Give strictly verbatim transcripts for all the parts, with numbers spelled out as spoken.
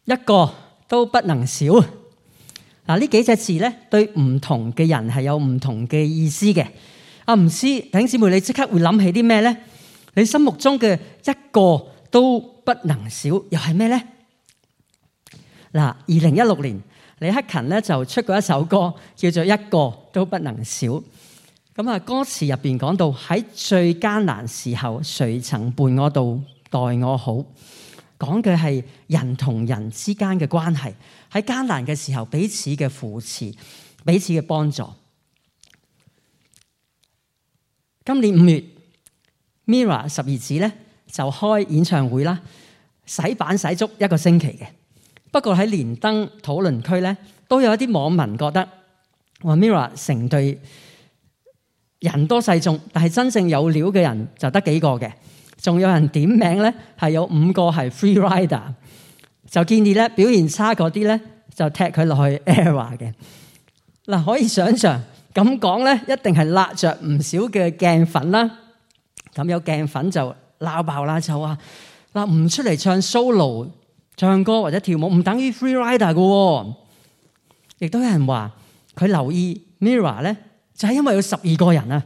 一個都不能少。嗱，呢幾隻字咧，對唔同嘅人係有唔同嘅意思嘅。啊，唔知弟兄姊妹，你即刻會諗起啲咩咧？你心目中嘅一個都不能少，又係咩咧？嗱，二零一六年李克勤咧就出過一首歌，叫做《一個都不能少》。咁啊，歌詞入邊講到喺最艱難時候，誰曾伴我到待我好？講嘅係人同人之間嘅關係，喺艱難嘅時候彼此嘅扶持，彼此嘅幫助。今年五月 Mirror 十二子咧就開演唱會啦，洗版洗足一個星期嘅。不過喺連登討論區咧，都有一啲網民覺得話 Mirror 成隊人多勢眾，但係真正有料嘅人就得幾個嘅。仲有人點名咧，係有五個係 free rider， 就建議咧表現差嗰啲咧就踢佢落去 ERROR 嘅。嗱，可以想象咁講咧，一定係辣着唔少嘅鏡粉啦。咁有鏡粉就鬧爆啦，就話嗱，唔出嚟唱 solo 唱歌或者跳舞，唔等於 free rider 嘅。亦都有人話佢留意 Mirror 咧，就係因為有十二個人啊。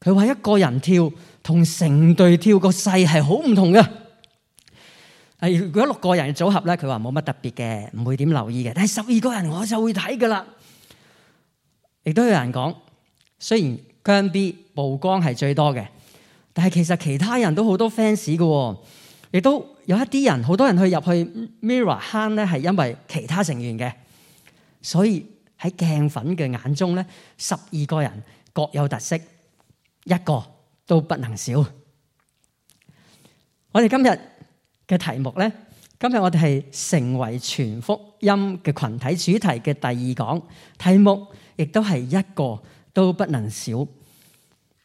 佢話一個人跳同成隊跳個勢係好唔同嘅。係如果六個人嘅組合咧，佢話冇乜特別嘅，唔會點留意嘅。但係十二個人我就會睇噶啦。亦都有人講，雖然姜 B 曝光係最多嘅，但係其實其他人都好多 fans 嘅。亦都有一啲人，好多人去入去 Mirror 坑咧，係因為其他成員嘅。所以喺鏡粉嘅眼中咧，十二個人各有特色，一個都不能少。我哋今日嘅題目咧，今日我哋係成為全福音嘅群體主題嘅第二講，題目亦都係一個都不能少。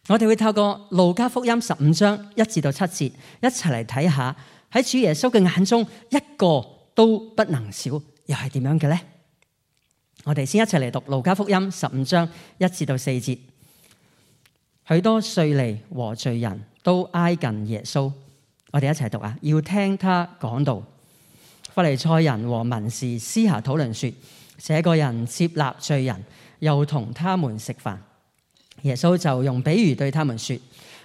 我哋會透過路加福音十五章一至到七節，一齊嚟睇下喺主耶穌嘅眼中，一個都不能少，又係點樣嘅咧？我哋先一齊嚟讀路加福音十五章一至到四節。許多稅吏和罪人都挨近耶穌，我哋一齊讀啊！要聽他講道。法利賽人和文士私下討論說：這個人接納罪人，又同他們食飯。耶穌就用比喻對他們說：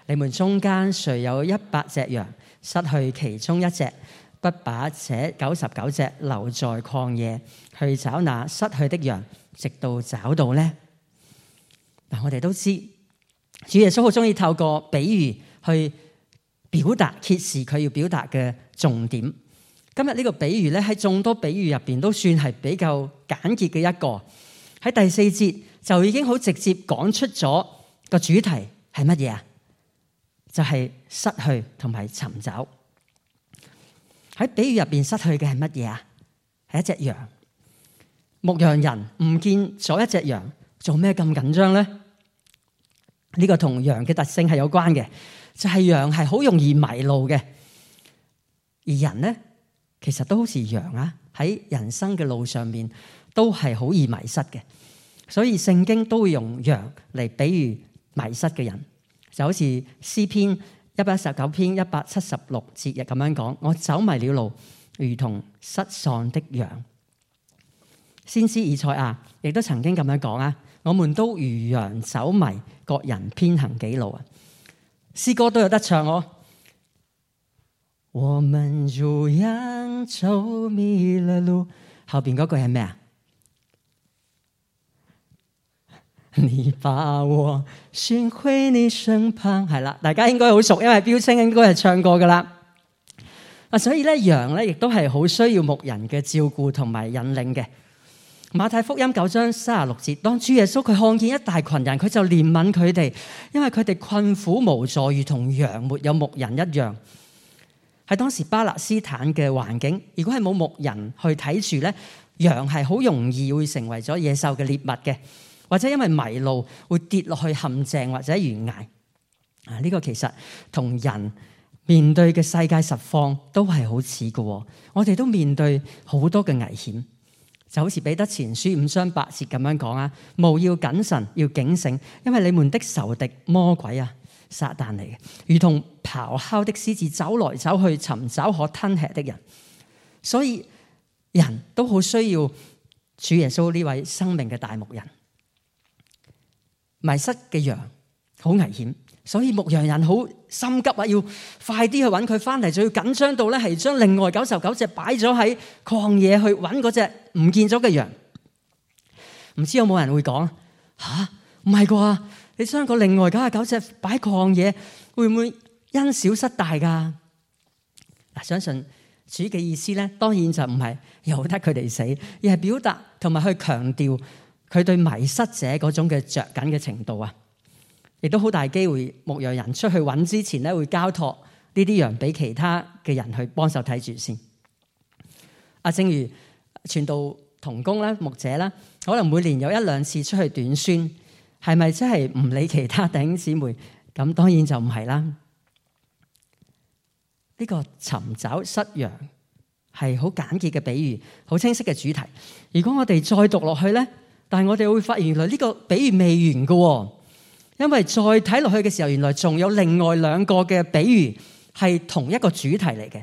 你們中間誰有一百隻羊，失去其中一隻，不把這九十九隻留在曠野，去找那失去的羊，直到找到呢？嗱，我哋都知主耶穌好中意透過比喻去表達揭示佢要表達嘅重點。今日呢個比喻咧，喺眾多比喻入邊都算係比較簡潔嘅一個。喺第四節就已經好直接講出咗個主題係乜嘢啊？就係失去同埋尋找。喺比喻入邊失去嘅係乜嘢啊？係一隻羊。牧羊人唔見咗一隻羊，做咩咁緊張咧？呢個同羊嘅特性係有關嘅，就係羊係好容易迷路嘅，而人咧其實都好似羊啊，喺人生嘅路上面都係好易迷失嘅，所以聖經都會用羊嚟比喻迷失嘅人，就好似詩篇一百一十九篇一百七十六節日咁樣講：我走迷了路，如同失喪的羊。先知以賽亞亦都曾經咁樣講啊：我們都如羊走迷，各人偏行己路啊！詩歌都有得唱哦。我們如羊走迷了路，後邊嗰句係咩啊？你把我尋回你身旁，係啦，大家應該好熟，因為標青應該係唱過噶啦。啊，所以咧羊咧亦都係好需要牧人嘅照顧同埋引領嘅。馬太福音九章三十六節，當主耶穌佢看見一大群人，佢就憐憫佢哋，因為佢哋困苦無助，如同羊沒有牧人一樣。喺當時巴勒斯坦嘅環境，如果係冇牧人去睇住咧，羊係好容易會成為咗野獸嘅獵物嘅，或者因為迷路會跌落去陷阱或者懸崖。啊，呢個其實同人面對嘅世界實況都係好似嘅，我哋都面對好多嘅危險。就好似彼得前書五章八節咁樣講啊，務要謹慎，要警醒，因為你們的仇敵魔鬼啊，撒旦嚟嘅，如同咆哮的獅子，走來走去，尋找可吞吃的人。所以人都好需要主耶穌呢位生命嘅大牧人。迷失嘅羊好危險，所以牧羊人好心急啊，要快啲去揾佢翻嚟，就要緊張到咧係將另外九十九隻擺咗喺曠野去揾嗰隻唔見咗嘅羊。唔知有冇人會講吓？唔係啩？你將個另外九十九隻擺曠野，會唔會因小失大噶？嗱，相信主嘅意思咧，當然就唔係由得佢哋死，而係表達同埋去強調佢對迷失者嗰種嘅着緊嘅程度啊！亦都好大機會，牧羊人出去揾之前咧，會交託呢啲羊俾其他嘅人去幫手睇住先。啊，正如傳道同工啦、牧者啦，可能每年有一兩次出去短宣，係咪真係唔理其他弟兄姊妹？咁當然就唔係啦。呢個尋找失羊係好簡潔嘅比喻，好清晰嘅主題。如果我哋再讀落去咧，但係我哋會發現原來呢個比喻未完嘅。因為再睇落去嘅時候，原來仲有另外兩個嘅比喻係同一個主題嚟嘅，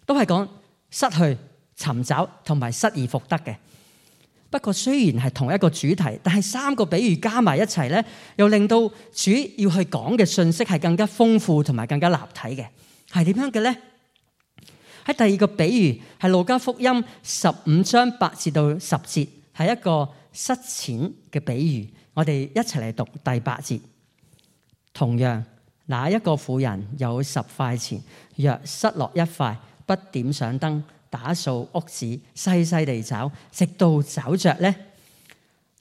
都係講失去、尋找同埋失而復得嘅。不過雖然係同一個主題，但係三個比喻加埋一齊咧，又令到主要去講嘅信息係更加豐富同埋更加立體嘅。係點樣嘅咧？喺第二個比喻係路加福音十五章八至到十節，係一個失錢嘅比喻。我哋一齊嚟讀第八節。同樣，那一個婦人有十塊錢，若失落一塊，不點上燈，打掃屋子，細細地找，直到找着呢。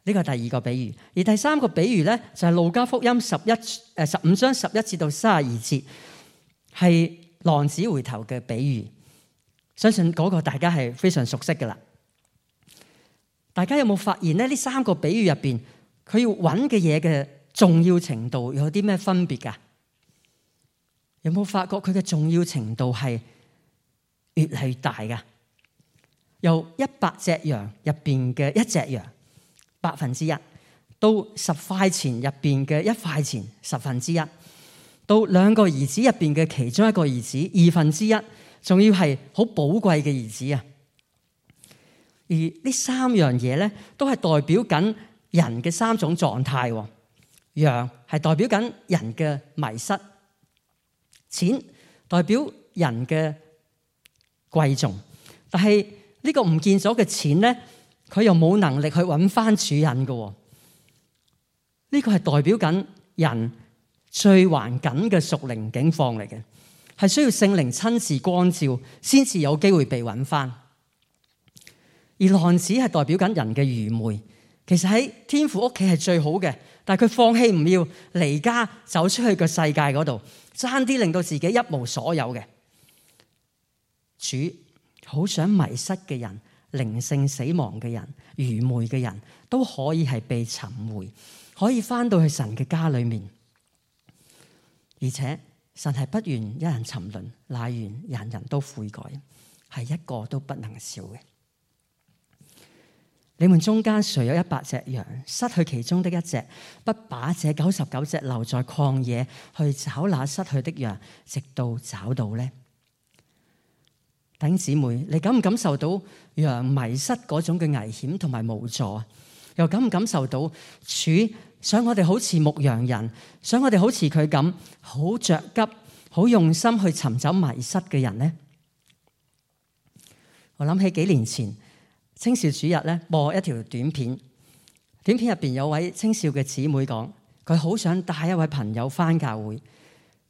呢個第二個比喻。而第三個比喻咧，就係路加福音十一誒十五章十一至到三十二節，係浪子回頭嘅比喻。相信嗰個大家係非常熟悉㗎喇。大家有冇發現咧？呢三個比喻入邊，佢要揾嘅嘢嘅重要程度有啲咩分別㗎？有冇發覺佢嘅重要程度係越嚟越大㗎？由一百隻羊入邊嘅一隻羊百分之一，到十塊錢入邊嘅一塊錢十分之一，到兩個兒子入邊嘅其中一個兒子二分之一，仲要係好寶貴嘅兒子啊！而呢三樣嘢咧，都係代表緊人嘅三種狀態。羊係代表緊人嘅迷失，錢代表人嘅貴重，但係呢個唔見咗嘅錢咧，佢又冇能力去揾翻主人嘅。呢個係代表緊人最環緊嘅屬靈境況嚟嘅，係需要聖靈親自光照，先至有機會被揾翻。而浪子係代表緊人嘅愚昧，其實喺天父屋企係最好嘅，但係佢放棄唔要離家走出去個世界嗰度，爭啲令到自己一無所有嘅。主好想迷失嘅人、靈性死亡嘅人、愚昧嘅人都可以係被尋回，可以翻到去神嘅家裏面。而且神係不願一人沉淪，乃願人人都悔改，係一個都不能少嘅。你們中間誰有一百隻羊，失去其中的一隻，不把這九十九隻留在曠野，去找那失去的羊，直到找到呢？弟兄姊妹，你感唔感受到羊迷失嗰種嘅危險同埋無助？又感唔感受到主想我哋好似牧羊人，想我哋好似佢咁，好着急、好用心去尋找迷失嘅人呢？我諗起幾年前青少主日咧，播一條短片，短片入邊有位青少嘅姊妹講，佢好想帶一位朋友返教會，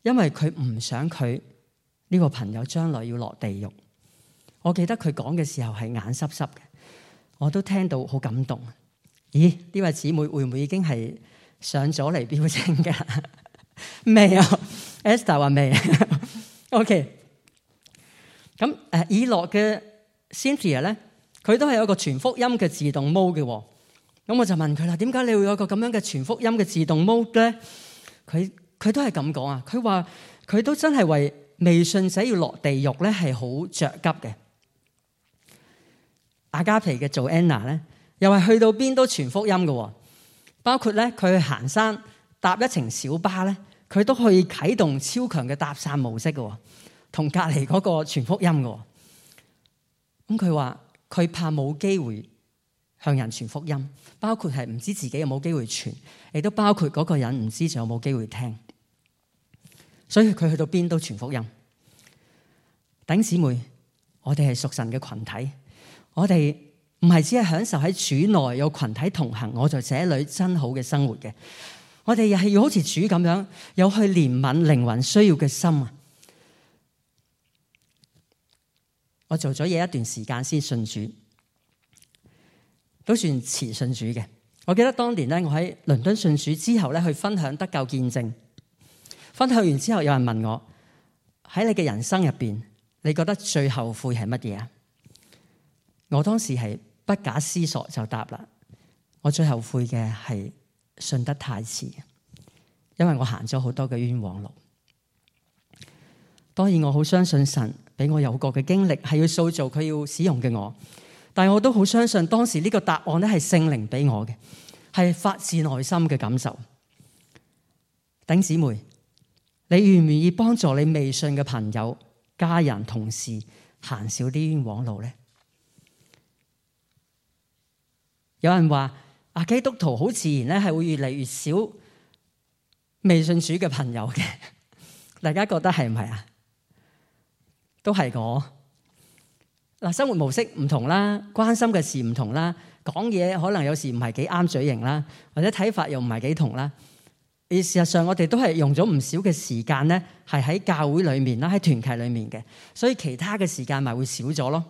因為佢唔想佢呢個朋友將來要落地獄。我記得佢講嘅時候係眼濕濕嘅，我都聽到好感動。咦？呢位姊妹會唔會已經係上咗嚟標青㗎？未啊？Esther 話未。OK。咁誒，以諾嘅 Cynthia 咧，佢都係有一個傳福音嘅自動 mode 嘅。咁我就問佢啦，點解你會有個咁樣嘅傳福音嘅自動 mode 咧？佢佢都係咁講啊。佢話佢都真係為未信者要落地獄咧，係好着急嘅。阿加皮嘅做 Anna 咧，又係去到邊都傳福音嘅，包括咧佢去行山搭一程小巴咧，佢都可以啟動超強嘅搭訕模式嘅，同隔離嗰個傳福音嘅。咁佢話佢怕冇機會向人傳福音，包括係唔知自己有冇機會傳，亦都包括嗰個人唔知仲有冇機會聽。所以佢去到邊都傳福音。弟兄姊妹，我哋係屬神嘅群體，我哋唔係只係享受喺主內有群體同行，我在這裏真好嘅生活嘅。我哋又係要好似主咁樣，有去憐憫靈魂需要嘅心啊！我做咗嘢一段時間先信主，都算遲信主嘅。我記得當年咧，我喺倫敦信主之後咧，去分享得救見證。分享完之後，有人問我：喺你嘅人生入邊，你覺得最後悔係乜嘢啊？我當時係不假思索就答啦，我最後悔嘅係信得太遲，因為我行咗好多嘅冤枉路。當然我好相信神俾我有過嘅經歷係要塑造佢要使用嘅我，但係我都好相信當時呢個答案咧係聖靈俾我嘅，係發自內心嘅感受。弟兄姊妹，你願唔願意幫助你未信嘅朋友、家人、同事行少啲冤枉路呢？有人話啊，基督徒好自然咧係會越嚟越少未信主嘅朋友嘅，大家覺得係唔係啊？都係我嗱，生活模式唔同啦，關心嘅事唔同啦，講嘢可能有時唔係幾啱嘴型啦，或者睇法又唔係幾同啦。而事實上，我哋都係用咗唔少嘅時間咧，係喺教會裏面啦，喺團契裏面嘅，所以其他嘅時間咪會少咗咯。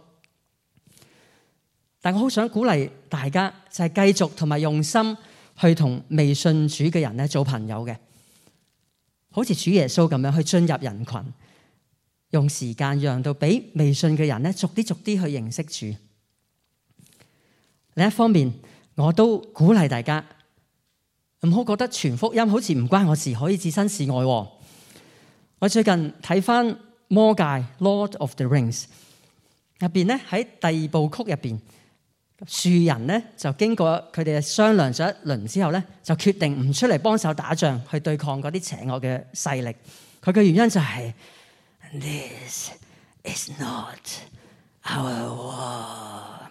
但我好想鼓勵大家，就係繼續同埋用心去同未信主嘅人咧做朋友嘅，好似主耶穌咁樣去進入人群，用時間讓到俾未信嘅人咧逐啲逐啲去認識主。另一方面，我都鼓勵大家唔好覺得傳福音好似唔關我事，可以置身事外。我最近睇翻魔戒 Lord of the Rings 入邊咧，喺第二部曲入邊，樹人咧就經過佢哋商量咗一輪之後咧，就決定唔出嚟幫手打仗，去對抗嗰啲邪惡嘅勢力。佢嘅原因就係、是、This is not our war。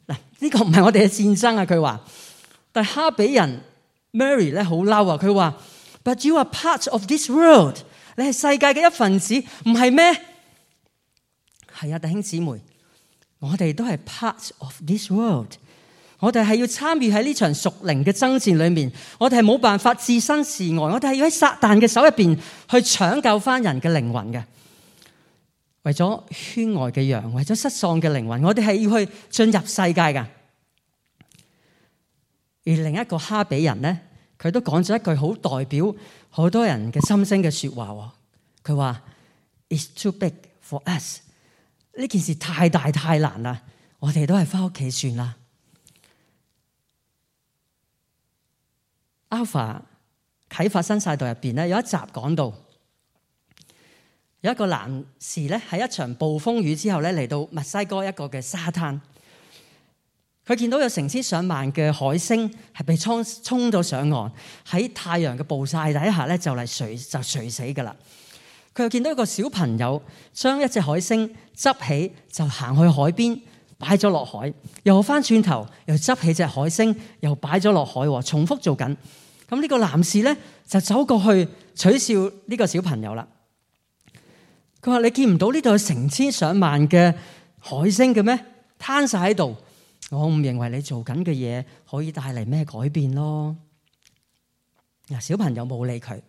嗱，呢個唔係我哋嘅戰爭啊！佢話，但係哈比人 Mary 咧好嬲啊！佢話 But you are part of this world。你係世界嘅一份子，唔係咩？係啊，弟兄姊妹。我哋都係 part of this world， 我哋係要參與喺呢場屬靈嘅爭戰裏面，我哋係冇辦法置身事外，我哋係要喺撒旦嘅手入邊去搶救翻人嘅靈魂嘅。為咗圈外嘅羊，為咗失喪嘅靈魂，我哋係要去進入世界噶。而另一個哈比人咧，佢都講咗一句好代表好多人嘅心聲嘅說話，佢話 It's too big for us。呢件事太大太難啦，我哋都係翻屋企算啦。Alpha 啟發新世代入邊咧，有一集講到有一個男士咧喺一場暴風雨之後咧嚟到墨西哥一個嘅沙灘，佢見到有成千上萬嘅海星係被沖沖到上岸，喺太陽嘅暴曬底下咧就嚟垂就垂死噶啦。佢又見到一個小朋友將一隻海星執起，就行去海邊擺咗落海，又翻轉頭又執起隻海星，又擺咗落海，重複做緊。咁呢個男士咧就走過去取笑呢個小朋友啦。佢話：你見唔到呢度有成千上萬嘅海星嘅咩？攤晒喺度，我唔認為你做緊嘅嘢可以帶嚟咩改變咯。嗱，小朋友冇理佢，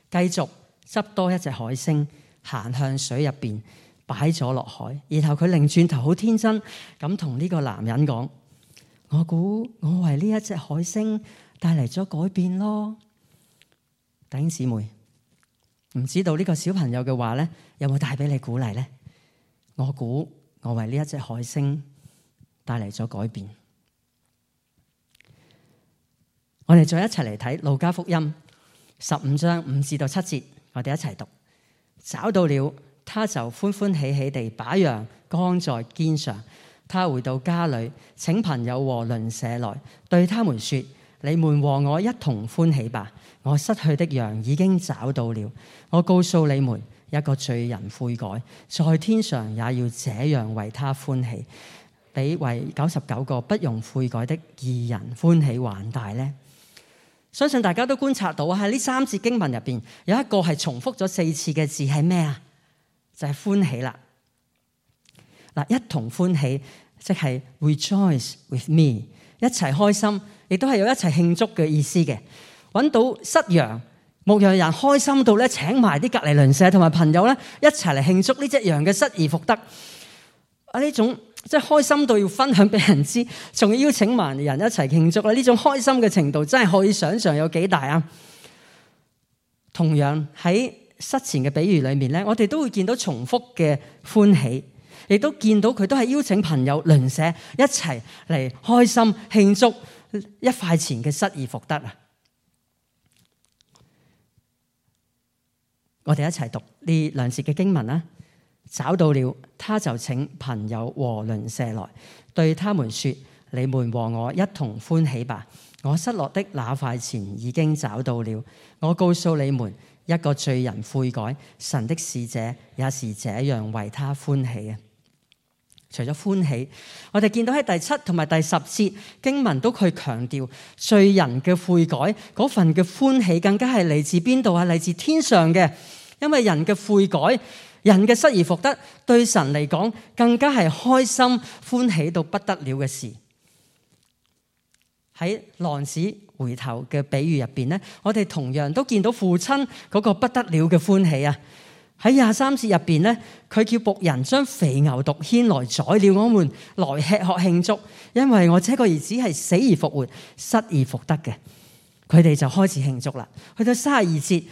繼續執多一隻海星，行向水入邊，擺咗落海。然後佢擰轉頭，好天真咁同呢個男人講：我估我為呢一隻海星帶嚟咗改變咯。弟兄姊妹，唔知道呢個小朋友嘅話咧，有冇帶俾你鼓勵咧？我估我為呢一隻海星帶嚟咗改變。我哋再一齊嚟睇路加福音十五章五至到七節。我哋一齊讀。找到了，他就歡歡喜喜地把羊扛在肩上。他回到家裏，請朋友和鄰舍來，對他們說：你們和我一同歡喜吧！我失去的羊已經找到了。我告訴你們，一個罪人悔改，在天上也要這樣為他歡喜。比為九十九個不容悔改的義人歡喜還大呢？相信大家都觀察到喺呢三節經文入邊有一個係重複咗四次嘅字係咩啊？就係歡喜啦。嗱，一同歡喜即係 rejoice with me， 一齊開心，亦都係有一齊慶祝嘅意思嘅。揾到失羊牧羊人開心到咧，請埋啲隔離鄰舍同埋朋友咧一齊嚟慶祝呢隻羊嘅失而復得。啊，呢種即係開心到要分享俾人知，仲要邀請埋人一齊慶祝啦！呢種開心嘅程度真係可以想象有幾大啊！同樣喺失前嘅比喻裏面咧，我哋都會見到重複嘅歡喜，亦都見到佢都係邀請朋友鄰舍一齊嚟開心慶祝一塊錢嘅失而復得啊！我哋一齊讀呢兩節嘅經文啦。找到了，他就請朋友和鄰舍來，對他們說：你們和我一同歡喜吧！我失落的那塊錢已經找到了。我告訴你們，一個罪人悔改，神的使者也是這樣為他歡喜嘅。除咗歡喜，我哋見到喺第七同埋第十節經文都去強調罪人嘅悔改嗰份嘅歡喜，更加係嚟自邊度啊？嚟自天上嘅，因為人嘅悔改。人嘅失而復得，對神嚟講更加係開心歡喜到不得了嘅事。喺浪子回頭嘅比喻入邊咧，我哋同樣都見到父親嗰個不得了嘅歡喜啊！喺廿三節入邊咧，佢叫僕人將肥牛犢牽來宰了，我們來吃喝慶祝，因為我這個兒子係死而復活、失而復得嘅。佢哋就開始慶祝啦。去到三十二節，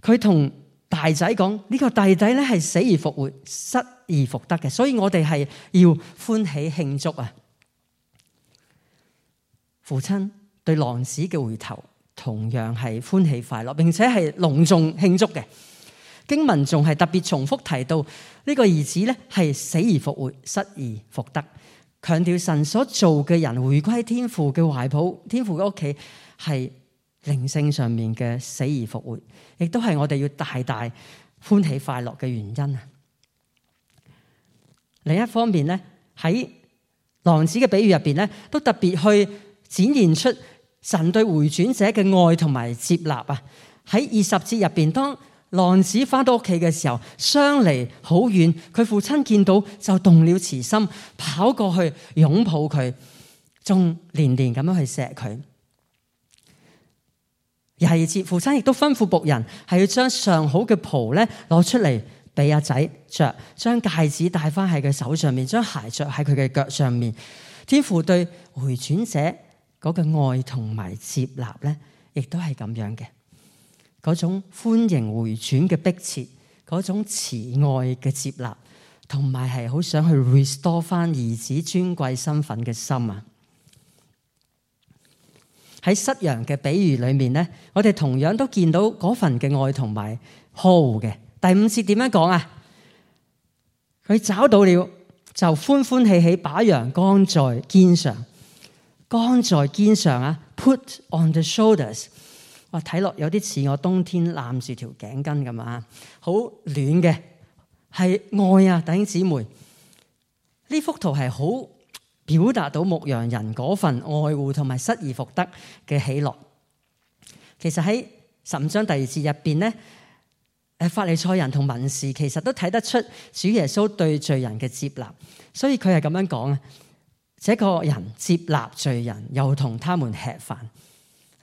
佢同大仔講呢個弟弟咧係死而復活、失而復得嘅，所以我哋係要歡喜慶祝啊！父親對浪子嘅回頭同樣係歡喜快樂，並且係隆重慶祝嘅。經文仲係特別重複提到呢個兒子咧係死而復活、失而復得，強調神所做嘅人回歸天父嘅懷抱，天父嘅屋企係靈性上面嘅死而復活，亦都係我哋要大大歡喜快樂嘅原因啊！另一方面咧，喺浪子嘅比喻入邊咧，都特別去展現出神對回轉者嘅愛同埋接納啊！喺二十節入邊，當浪子翻到屋企嘅時候，相離好遠，佢父親見到就動了慈心，跑過去擁抱佢，仲連連咁樣去錫佢。廿二節，父親亦都吩咐僕人係要將上好嘅袍咧攞出嚟俾阿仔着，將戒指戴翻喺佢手上面，將鞋着喺佢嘅腳上面。天父對回轉者嗰個愛同埋接納咧，亦都係咁樣嘅，嗰種歡迎回轉嘅迫切，嗰種慈愛嘅接納，同埋係好想去 restore 翻兒子尊貴身份嘅心啊！喺失羊嘅比喻裏面咧，我哋同樣都見到嗰份嘅愛同埋呵護嘅。第五節點樣講啊？佢找到了，就歡歡喜喜把羊扛在肩上，扛在肩上啊 ，put on the shoulders。哇，睇落有啲似我冬天攬住條頸巾咁啊，好暖嘅，係愛啊，弟兄姊妹。呢幅圖係好表達到牧羊人嗰份愛護同埋失而復得嘅喜樂。其實喺十五章第二節入邊咧，誒法利賽人同文士其實都睇得出主耶穌對罪人嘅接納，所以佢係咁樣講啊：這個人接納罪人，又同他們吃飯。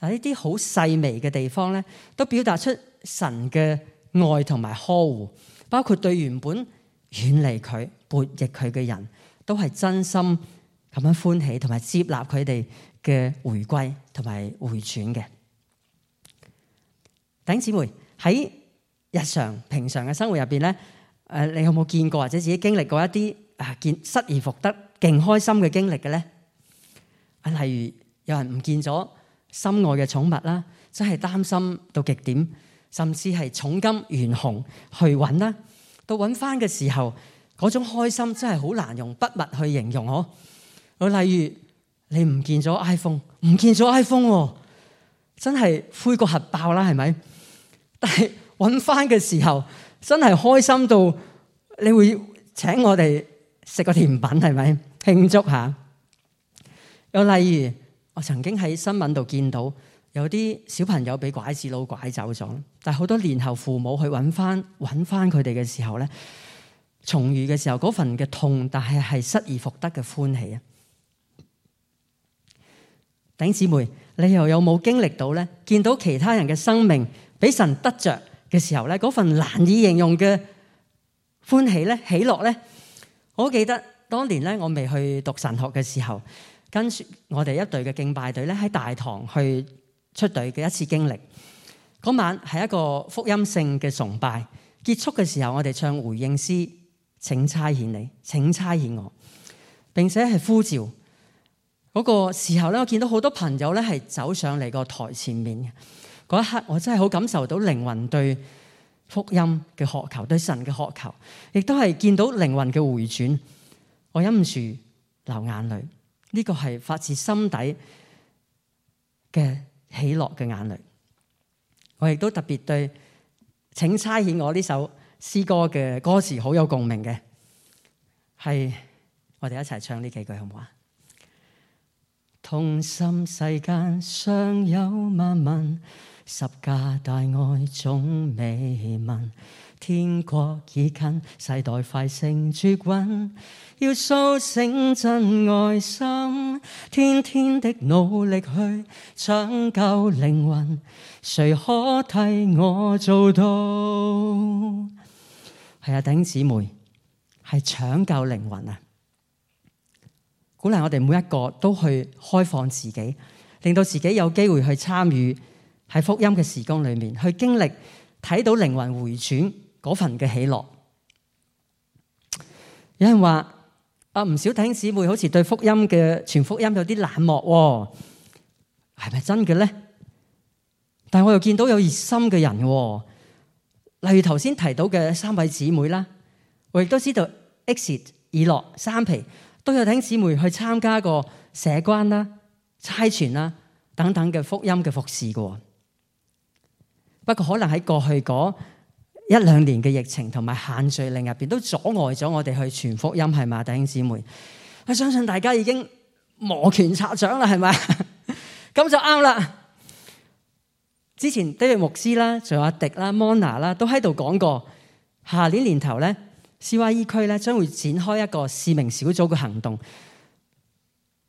嗱，呢啲好細微嘅地方咧，都表達出神嘅愛同埋呵護，包括對原本遠離佢、悖逆佢嘅人，都係真心咁樣歡喜同埋接納佢哋嘅回歸同埋回轉嘅。弟兄姊妹，喺日常平常嘅生活入邊咧，誒，你有冇見過或者自己經歷過一啲啊見失而復得勁開心嘅經歷嘅咧？啊，例如有人唔見咗心愛嘅寵物啦，真係擔心到極點，甚至係重金懸紅去揾啦。到揾翻嘅時候，嗰種開心真係好難用筆墨去形容嗬。我例如你唔見咗 iPhone， 唔見咗 iPhone，喎，真係灰過核爆啦，係咪？但係揾翻嘅時候，真係開心到你會請我哋食個甜品係咪慶祝下？又例如我曾經喺新聞度見到有啲小朋友俾拐子佬拐走咗，但係好多年後父母去揾翻揾翻佢哋嘅時候咧，重遇嘅時候嗰份嘅痛，但係係失而復得嘅歡喜啊！弟兄姊妹，你又有冇經歷到咧？見到其他人嘅生命俾神得着嘅時候咧，嗰份難以形容嘅歡喜咧、喜樂咧，我記得當年咧，我未去讀神學嘅時候，跟住我哋一隊嘅敬拜隊咧喺大堂去出隊嘅一次經歷。嗰晚係一個福音性嘅崇拜，結束嘅時候，我哋唱回應詩，請差遣你，請差遣我，並且係呼召。嗰個時候咧，我見到好多朋友咧係走上嚟個台前面嘅嗰一刻，我真係好感受到靈魂對福音嘅渴求，對神嘅渴求，亦都係見到靈魂嘅回轉。我忍唔住流眼淚，呢個係發自心底嘅喜樂嘅眼淚。我亦都特別對請差遣我呢首詩歌嘅歌詞好有共鳴嘅，係我哋一齊唱呢幾句好唔好啊？痛心世間尚有萬民，十架大愛總未聞。天國已近，世代快成絕韻，要甦醒真愛心，天天的努力去搶救靈魂，誰可替我做到？係啊，弟兄姊妹，係搶救靈魂啊！鼓勵我哋每一個都去開放自己，令到自己有機會去參與喺福音嘅事工裏面，去經歷睇到靈魂回轉嗰份嘅喜樂。有人話啊，唔少弟兄姊妹好似對福音嘅傳福音有啲冷漠，係咪真嘅咧？但係我又見到有熱心嘅人，例如頭先提到嘅三位姊妹啦，我亦都知道 Exit 以諾三皮都有弟兄姊妹去參加過社關啦、差傳啦等等嘅福音嘅服侍嘅。不過可能喺過去嗰一兩年嘅疫情同埋限聚令入邊，都阻礙咗我哋去傳福音，係嘛，弟兄姊妹？我相信大家已經摩拳擦掌啦，係咪？咁就啱啦。之前 David 牧師啦，仲有阿迪啦、Mona 啦，都喺度講過，下年年頭咧，C Y E 區咧將會展開一個使命小組嘅行動，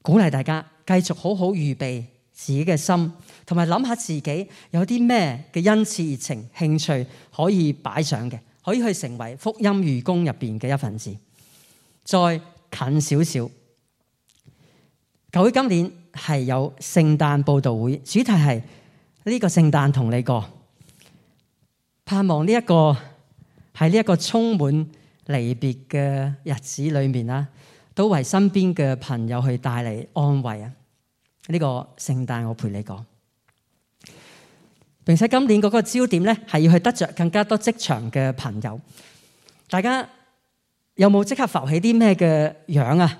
鼓勵大家繼續好好預備自己嘅心，同埋諗下自己有啲咩嘅恩賜、熱情、興趣可以擺上嘅，可以去成為福音義工入邊嘅一份子。再近少少，教會今年係有聖誕佈道會，主題係呢個聖誕同你過，盼望呢一個喺呢一個充滿離別嘅日子裏面啦，都為身邊嘅朋友去帶嚟安慰啊！呢個聖誕我陪你過，並且今年嗰個焦點咧係要去得着更加多職場嘅朋友。大家有冇即刻浮起啲咩嘅樣啊？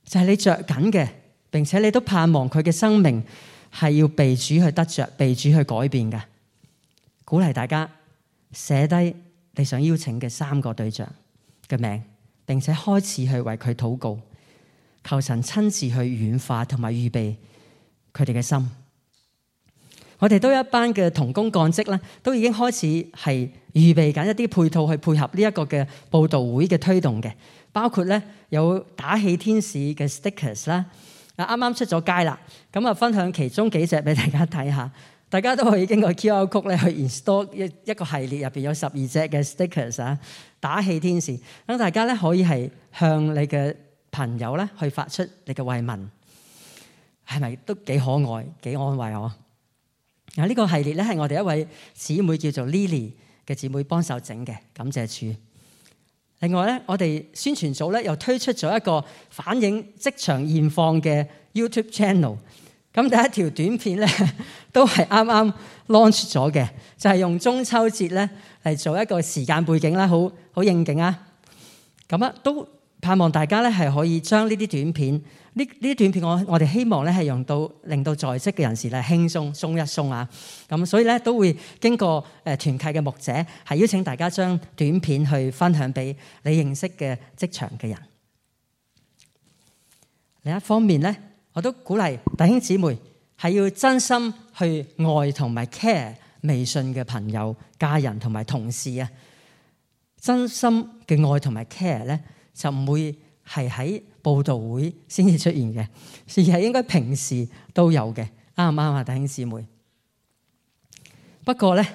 就係你着緊嘅，並且你都盼望佢嘅生命係要被主去得着，被主去改變嘅。鼓勵大家寫低你想邀請嘅三個對象嘅名，並且開始去為佢禱告，求神親自去軟化同埋預備佢哋嘅心。我哋都有一班嘅同工幹職咧，都已經開始係預備緊一啲配套去配合呢一個嘅佈道會嘅推動嘅，包括咧有打氣天使嘅 stickers 啦，啊啱啱出咗街啦，咁啊分享其中幾隻俾大家睇下，大家都可以經過 Q R code 咧去 install 一一個系列入邊有十二隻嘅 stickers 啊，打氣天使，等大家咧可以係向你嘅朋友咧去發出你嘅慰問，係咪都幾可愛、幾安慰我？啊！呢個系列咧係我哋一位姊妹叫做 Lily 嘅姊妹幫手整嘅，感謝主。另外咧，我哋宣傳組咧又推出咗一個反映職場現況嘅 YouTube channel。咁第一條短片咧都係啱啱 launch 咗嘅，就係用中秋節咧嚟做一個時間背景啦，好好應景啊！咁啊都盼望大家咧係可以將呢啲短片，呢呢啲短片我我哋希望咧係用到令到在職嘅人士咧輕鬆鬆一鬆啊！咁所以咧都會經過誒團契嘅牧者係邀請大家將短片去分享俾你認識嘅職場嘅人。另一方面咧，我都鼓勵弟兄姊妹係要真心去愛同埋 care 微信嘅朋友、家人同埋同事啊！真心嘅愛同埋 care 咧，就唔會係喺佈道會先至出現嘅，而係應該平時都有嘅，啱唔啱啊，弟兄姊妹？不過咧，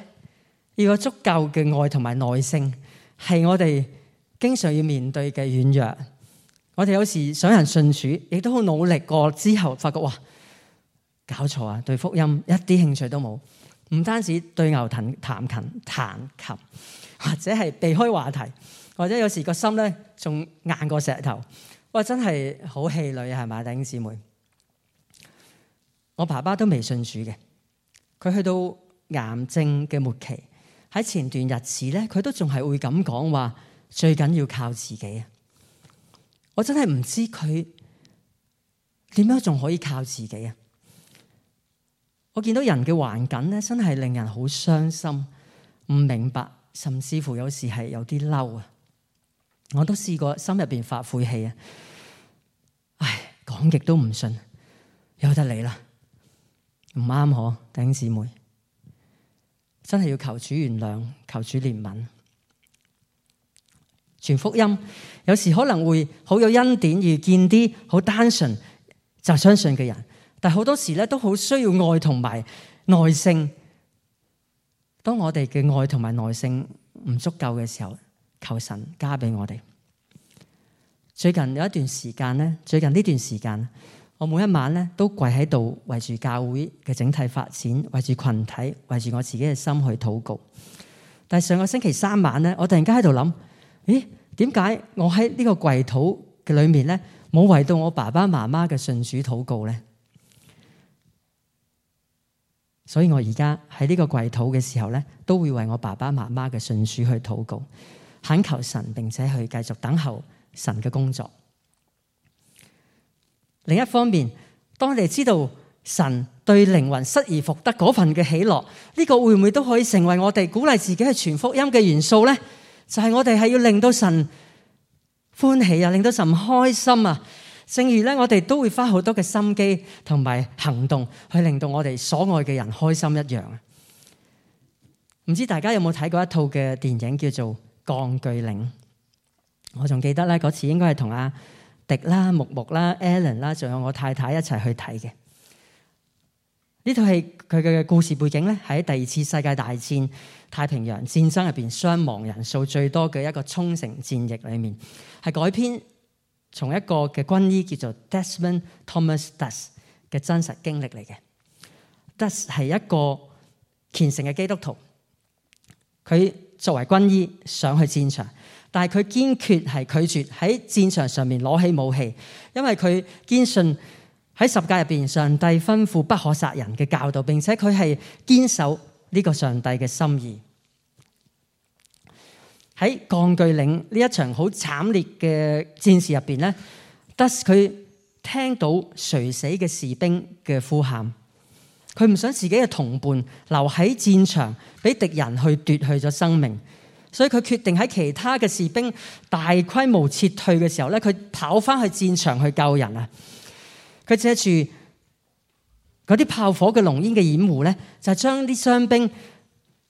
要有足夠嘅愛同埋耐性，係我哋經常要面對嘅軟弱。我哋有時想人信主，亦都好努力過之後，發覺哇，搞錯啊！對福音一啲興趣都冇，唔單止對牛彈彈琴彈琴，或者係避開話題，或者有時個心咧仲硬過石頭。哇！真係好氣餒啊，係咪，弟兄姊妹？我爸爸都未信主嘅，佢去到癌症嘅末期，喺前段日子咧，佢都仲係會咁講話，最緊要靠自己啊！我真係唔知佢點樣仲可以靠自己啊！我見到人嘅環境咧，真係令人好傷心，唔明白，甚至乎有時係有啲嬲啊！我都試過心入邊發晦氣啊！唉，講極都唔信，由得你啦，唔啱嗬，弟兄姊妹，真係要求主原諒，求主憐憫。傳福音有時可能會好有恩典，遇見啲好單純就相信嘅人，但係好多時咧都好需要愛同埋耐性。當我哋嘅愛同埋耐性唔足夠嘅時候，求神加俾我哋。最近有一段時間咧，最近呢段時間，我每一晚咧都跪喺度為住教會嘅整體發展，為住群體，為住我自己嘅心去禱告。但係上個星期三晚咧，我突然間喺度諗，咦？點解我喺呢個跪禱嘅裏面咧，冇為到我爸爸媽媽嘅信主禱告咧？所以我而家喺呢個跪禱嘅時候咧，都會為我爸爸媽媽嘅信主去禱告，懇求神，並且去繼續等候神嘅工作。另一方面，當你知道神對靈魂失而復得嗰份嘅喜樂，呢個會唔會都可以成為我哋鼓勵自己去傳福音嘅元素咧？就係我哋係要令到神歡喜啊，令到神開心啊。正如咧，我哋都會花好多嘅心機同埋行動去令到我哋所愛嘅人開心一樣啊。唔知大家有冇睇過一套嘅電影叫做《鋼鋸嶺》？我仲記得咧，嗰次應該係同阿迪啦、木木啦、Alan 啦，仲有我太太一齊去睇嘅。呢套戲佢嘅故事背景咧，喺第二次世界大戰太平洋戰爭入邊傷亡人數最多嘅一個沖繩戰役裏面，係改編從一個嘅軍醫叫做 Desmond Thomas Doss 嘅真實經歷嚟嘅。Doss 係一個虔誠嘅基督徒，佢作為軍醫上去戰場，但係佢堅決係拒絕喺戰場上面攞起武器，因為佢堅信喺十誡入邊，上帝吩咐不可殺人嘅教導，並且佢係堅守呢個上帝嘅心意。喺鋼鋸嶺呢一場好慘烈嘅戰事入邊咧，Doss佢聽到垂死嘅士兵嘅呼喊，佢唔想自己嘅同伴留喺戰場，俾敵人去奪去咗生命，所以佢決定喺其他嘅士兵大規模撤退嘅時候咧，佢跑翻去戰場去救人啊！佢借住嗰啲炮火嘅濃煙嘅掩護咧，就將啲傷兵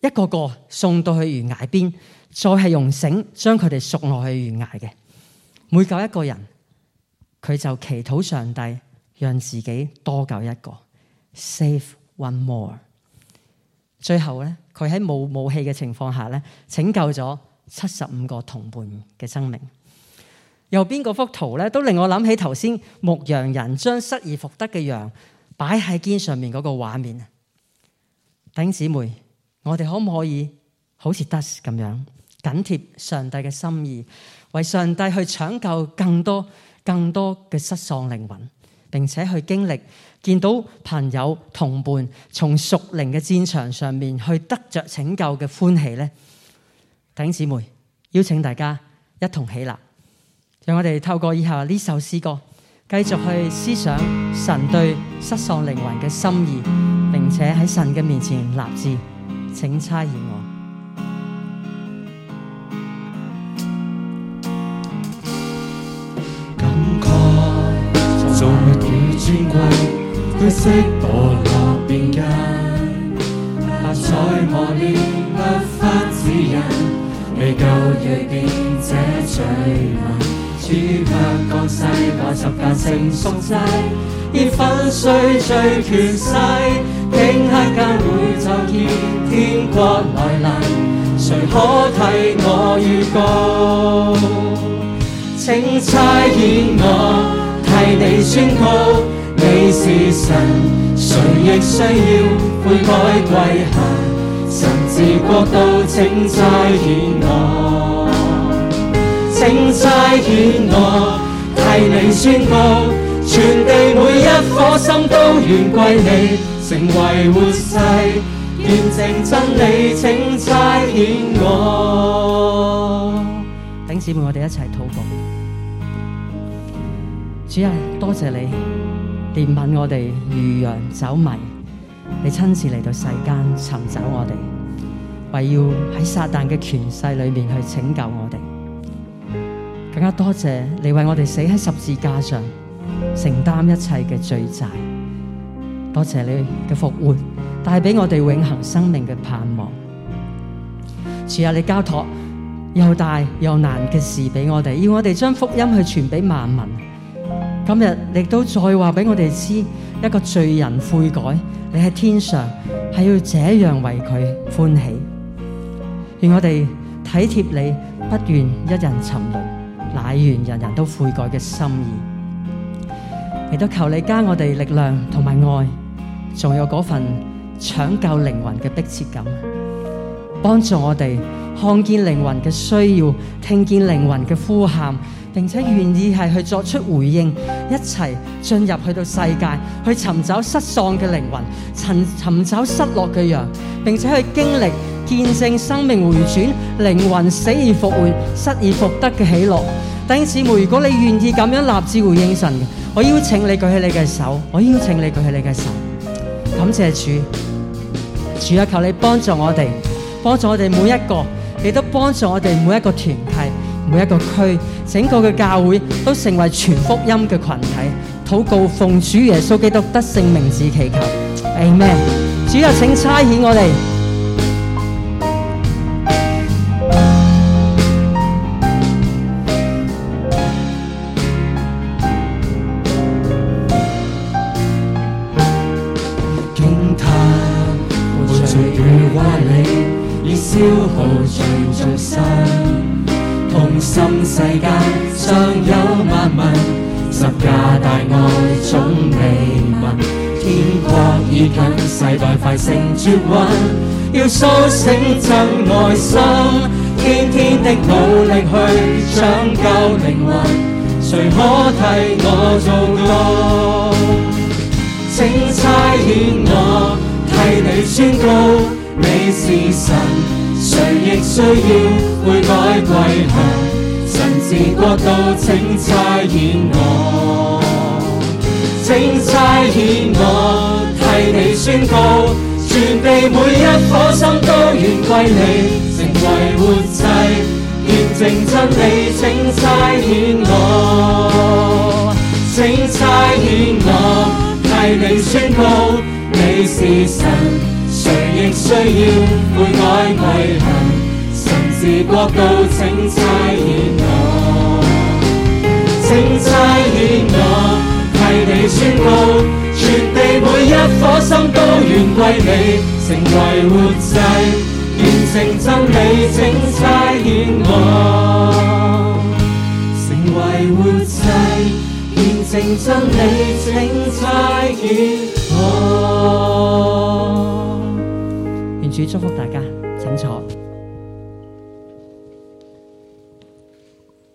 一個個送到去懸崖邊，再係用繩將佢哋贖落去懸崖嘅。每救一個人，佢就祈禱上帝讓自己多救一個 ，save one more。最後咧，佢喺冇武器嘅情況下咧，拯救咗七十五個同伴嘅生命。右邊嗰幅圖咧，都令我諗起頭先牧羊人將失而復得嘅羊擺喺肩上面嗰個畫面。弟兄姊妹，我哋可唔可以好似 Doss 咁樣緊貼上帝嘅心意，為上帝去搶救更多更多嘅失喪靈魂，並且去經歷見到朋友同伴從屬靈嘅戰場上面去得着拯救嘅歡喜呢？弟兄姊妹，邀請大家一同起立。讓我哋透過以下呢首詩歌，繼續去思想神對失喪靈魂嘅心意，並且喺神嘅面前立志，請差遣我。感慨造物與尊貴，灰色墮落邊間，下在磨練律法指引，未夠遇見這罪民。主卻降世代十架成贖祭，以粉碎罪權勢，頃刻間會就見天國來臨，誰可替我預告？請差遣我替你宣告，你是神，誰亦需要悔改歸向，神治國度，請差遣我。請差遣我替你宣告，全地每一顆心都願歸你，成為活祭，見證真理，請差遣我。弟兄姊妹，我哋一齊禱告。主啊，多謝你憐憫我哋如羊走迷，你親自嚟到世間尋找我哋，為要喺撒旦嘅權勢裏面去拯救我哋。更加多謝你為我哋死喺十字架上，承擔一切嘅罪債。多謝你嘅復活，帶俾我哋永恆生命嘅盼望。主啊，你交託又大又難嘅事俾我哋，要我哋將福音去傳俾萬民。今日亦都再話俾我哋知，一個罪人悔改，你喺天上係要這樣為佢歡喜。願我哋體貼你，不願一人沉淪，乃願人人都悔改嘅心意，亦都求你加我哋力量同埋愛，仲有嗰份搶救靈魂嘅迫切感，幫助我哋看見靈魂嘅需要，聽見靈魂嘅呼喊，並且願意係去作出回應，一齊進入去到世界，去尋找失喪嘅靈魂，尋尋找失落嘅羊，並且去經歷見證生命回轉，靈魂死而復活，失而復得嘅喜樂。弟兄姊妹，如果你願意咁樣立志回應神，我邀請你舉起你嘅手，我邀請你舉起你嘅手，感謝主。主啊，求你幫助我哋，幫助我哋每一個，亦都幫助我哋每一個團契、每一個區，整個嘅教會都成為全福音嘅群體。禱告奉主耶穌基督得勝名字祈求 ，Amen。主啊，請差遣我哋。消耗最眾生，痛心世間尚有萬民，十架大愛總未聞，天國已近，世代快成絕韻，要甦醒真愛心，天天的努力去搶救靈魂，誰可替我做到？請差遣我替你宣告，你是神，誰亦需要悔改歸向，神治國度，請差遣我，請差遣我替你宣告，全地每一顆心都願歸你，成為活祭，見證真理，請差遣我，請差遣我替你宣告，你是神，誰亦需要悔改歸向，神治國度，請差遣我，請差遣我替你宣告，全地每一顆心都願歸你，成為活祭，見證真理，請差遣我，成為活祭，見證真理，請差遣我。願主祝福大家，請坐。